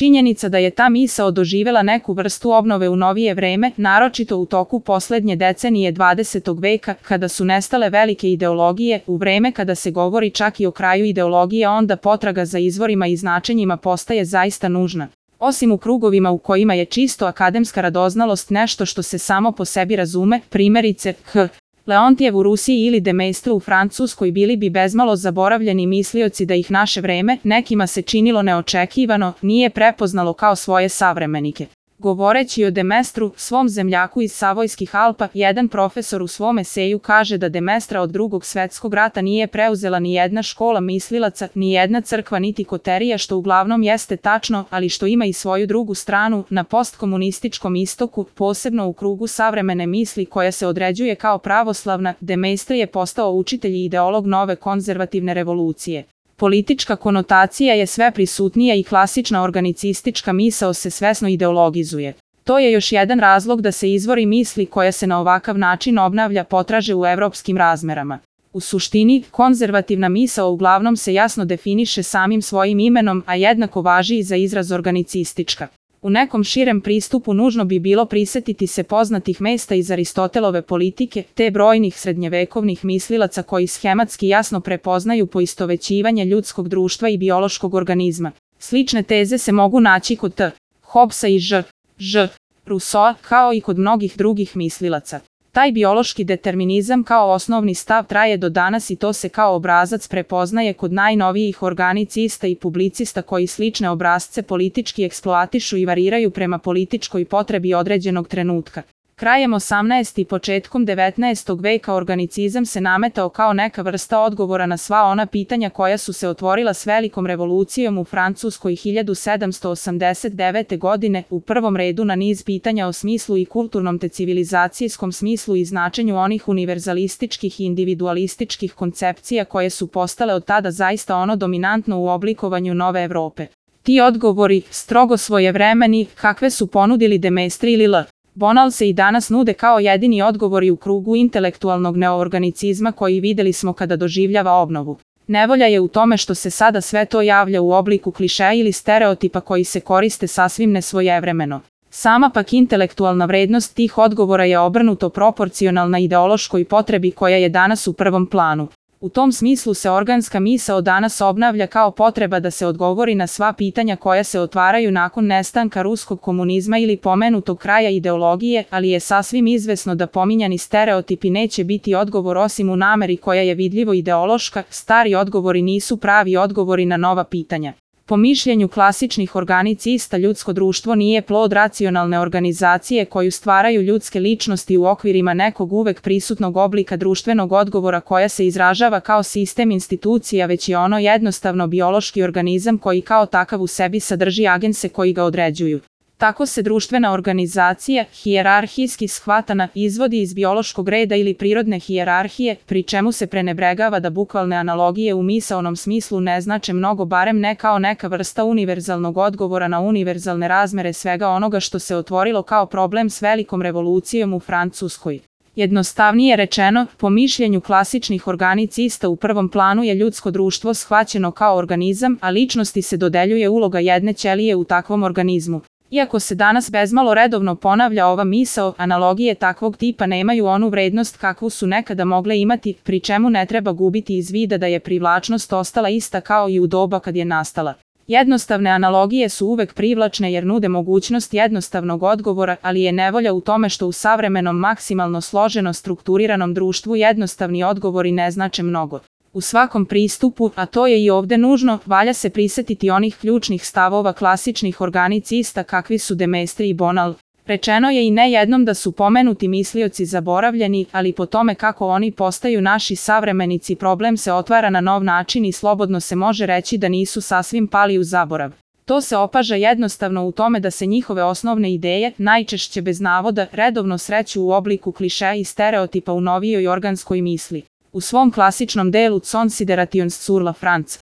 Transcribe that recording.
Činjenica da je ta misao doživela neku vrstu obnove u novije vreme, naročito u toku poslednje decenije 20. veka, kada su nestale velike ideologije, u vreme kada se govori čak i o kraju ideologije, onda potraga za izvorima i značenjima postaje zaista nužna. Osim u krugovima u kojima je čisto akademska radoznalost nešto što se samo po sebi razume, primjerice Leontijev u Rusiji ili de Maistre u Francuskoj bili bi bezmalo zaboravljeni mislioci da ih naše vreme, nekima se činilo neočekivano, nije prepoznalo kao svoje savremenike. Govoreći o de Maistru, svom zemljaku iz Savojskih Alpa, jedan profesor u svom eseju kaže da de Maistra od Drugog svetskog rata nije preuzela ni jedna škola mislilaca, ni jedna crkva niti koterija, što uglavnom jeste tačno, ali što ima i svoju drugu stranu, na postkomunističkom istoku, posebno u krugu savremene misli koja se određuje kao pravoslavna, de Maistre je postao učitelj i ideolog nove konzervativne revolucije. Politička konotacija je sve prisutnija i klasična organicistička misao se svesno ideologizuje. To je još jedan razlog da se izvori misli koja se na ovakav način obnavlja potraže u evropskim razmerama. U suštini, konzervativna misao uglavnom se jasno definiše samim svojim imenom, a jednako važi i za izraz organicistička. U nekom širem pristupu nužno bi bilo prisetiti se poznatih mesta iz Aristotelove politike, te brojnih srednjevekovnih mislilaca koji schematski jasno prepoznaju poistovećivanje ljudskog društva i biološkog organizma. Slične teze se mogu naći kod Hobbesa i Rousseaua, kao i kod mnogih drugih mislilaca. Taj biološki determinizam kao osnovni stav traje do danas i to se kao obrazac prepoznaje kod najnovijih organicista i publicista koji slične obrazce politički eksploatišu i variraju prema političkoj potrebi određenog trenutka. Krajem 18. i početkom 19. veka organicizam se nametao kao neka vrsta odgovora na sva ona pitanja koja su se otvorila s velikom revolucijom u Francuskoj 1789. godine, u prvom redu na niz pitanja o smislu i kulturnom te civilizacijskom smislu i značenju onih univerzalističkih i individualističkih koncepcija koje su postale od tada zaista ono dominantno u oblikovanju nove Evrope. Ti odgovori, strogo svojevremeni, kakve su ponudili de Maistre ili Bonal se i danas nude kao jedini odgovori u krugu intelektualnog neoorganicizma koji videli smo kada doživljava obnovu. Nevolja je u tome što se sada sve to javlja u obliku klišeja ili stereotipa koji se koriste sasvim nesvojevremeno. Sama pak intelektualna vrednost tih odgovora je obrnuto proporcionalna ideološkoj potrebi koja je danas u prvom planu. U tom smislu se organska misao danas obnavlja kao potreba da se odgovori na sva pitanja koja se otvaraju nakon nestanka ruskog komunizma ili pomenutog kraja ideologije, ali je sasvim izvesno da pominjani stereotipi neće biti odgovor osim u nameri koja je vidljivo ideološka, stari odgovori nisu pravi odgovori na nova pitanja. Po mišljenju klasičnih organicista ljudsko društvo nije plod racionalne organizacije koju stvaraju ljudske ličnosti u okvirima nekog uvek prisutnog oblika društvenog odgovora koja se izražava kao sistem institucija, već je ono jednostavno biološki organizam koji kao takav u sebi sadrži agense koji ga određuju. Tako se društvena organizacija, hijerarhijski shvatana, izvodi iz biološkog reda ili prirodne hijerarhije, pri čemu se prenebregava da bukvalne analogije u misaonom smislu ne znače mnogo, barem ne kao neka vrsta univerzalnog odgovora na univerzalne razmere svega onoga što se otvorilo kao problem s velikom revolucijom u Francuskoj. Jednostavnije rečeno, po mišljenju klasičnih organicista u prvom planu je ljudsko društvo shvaćeno kao organizam, a ličnosti se dodeljuje uloga jedne ćelije u takvom organizmu. Iako se danas bezmalo redovno ponavlja ova misao, analogije takvog tipa nemaju onu vrednost kakvu su nekada mogle imati, pri čemu ne treba gubiti iz vida da je privlačnost ostala ista kao i u doba kad je nastala. Jednostavne analogije su uvek privlačne jer nude mogućnost jednostavnog odgovora, ali je nevolja u tome što u savremenom maksimalno složeno strukturiranom društvu jednostavni odgovori ne znače mnogo. U svakom pristupu, a to je i ovde nužno, valja se prisetiti onih ključnih stavova klasičnih organicista kakvi su de Maistre i Bonal. Rečeno je i ne jednom da su pomenuti mislioci zaboravljeni, ali po tome kako oni postaju naši savremenici problem se otvara na nov način i slobodno se može reći da nisu sasvim pali u zaborav. To se opaža jednostavno u tome da se njihove osnovne ideje, najčešće bez navoda, redovno sreću u obliku klišeja i stereotipa u novijoj organskoj misli. U svom klasičnom delu Considerations sur la France,